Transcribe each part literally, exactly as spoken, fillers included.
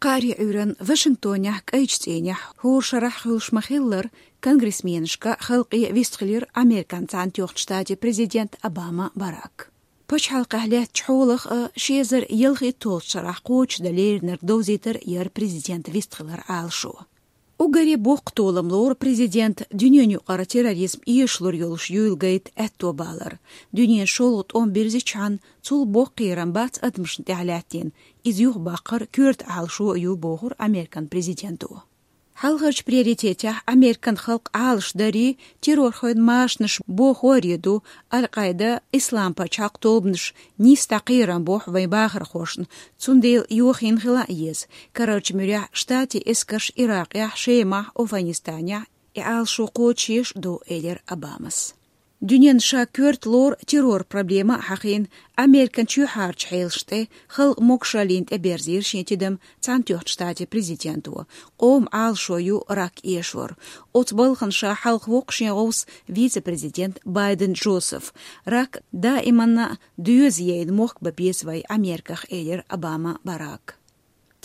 Кхаарин Ӏуьйранна Вашингтонехь кӀайчу цӀийнехь хӀора шарахь хуьлуш ма-хиллара, конгрессменашка халкъе вистхилира Американ Цхьаьнатоьхначу Штатийн президент Обама Барак. Пачхьалкхехь лаьттачу хьолах а, ши эзар ялхитталгӀачу шарахь кхочушдан леринарг довзийтар яра президент вистхилар Ӏалашо. Уггаре боккха толам лору президент дуьненан юкъара терроризм эшалур йолуш юйла гайта аьтто балар. Дуьненан шолгӀа тӀом бирзичхьана, цул боккха кхерам бац адамашна тӀехь лаьттина, иза юхабаккхар коьрта Ӏалашо а ю, бохура Американ президенто. Хьалхарчу приоритетехь Американ халкъ Ӏалашдарий, террорхойн машанаш бохорий ду, Аль-Къаида, Ислам пачхьалкх тобанаш нийса дӀа кхерам бохьу вайн бахархошна, цундела йохийна хила а еза. Карарчу муьрехь Штатийн эскарш Иракъехь, Шемахь, Афганистанехь и Ӏалашо кхочушъеш а ду, элира Обамас. Дуьненна ша коьрта лору террор проблема а хьахийна, Американ чоьхьарчу хьелашна тӀе, халкъан могушаллина тӀеберзийра шен тидам Цхьаьнатоьхначу Штатийн президенто. Къоман Ӏалашо ю рак эшор. Оцу балхана ша хьалха воккху шен гӀовс вице-президент Байден Джозеф. Рак даиманна доьза яйна мохк бан беза вай Америках, элира Обама Барака.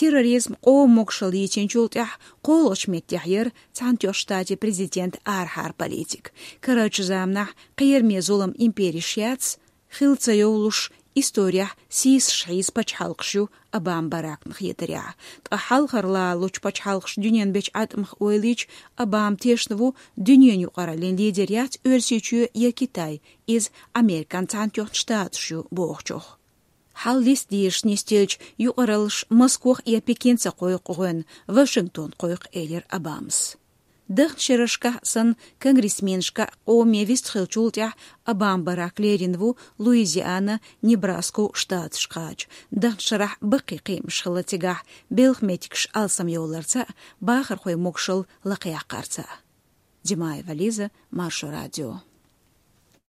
Терроризм, къоман могушалла йийцинчул тӀаьхьа кхоалгӀачу меттехь яра Цхьаьнатоьхначу Штатийн президентан арахьара политика. Карарчу заманахь кхераме зулам империш яц, хила ца йовлуш, исторехь сийсаш хьийза пачхьалкхаш ю Обама Баракна хетарехь. Ткъа хьалхара лалучу пачхьалкхаша дуьненан бечу Ӏаткъамах ойла йича, Обама тешна ву, дуьненан юкъараллин лидер яц Оьрсийчоь я Китай, иза Американ Цхьаьнатоьхна Штаташ ю бохучух. Хьал листа дезаш нисделча, юкъараллаш Москох я Пекин ца кхойкху гӀоьнна, Вашингтон кхойкху, элира Обамас. Дахначу шерашкахь а санна, конгрессменашка къоме вистхилчул тӀаьхьа Обама Барак лерина ву Луизиана, Небраско штаташ кхача. Дахначу шарахь баккхий кхиамаш хилла цигахь, белхан меттигаш алсамйолларца а, бахархойн могушалла лакхаяккхарца а. Димаева Лиза, Маршо радио.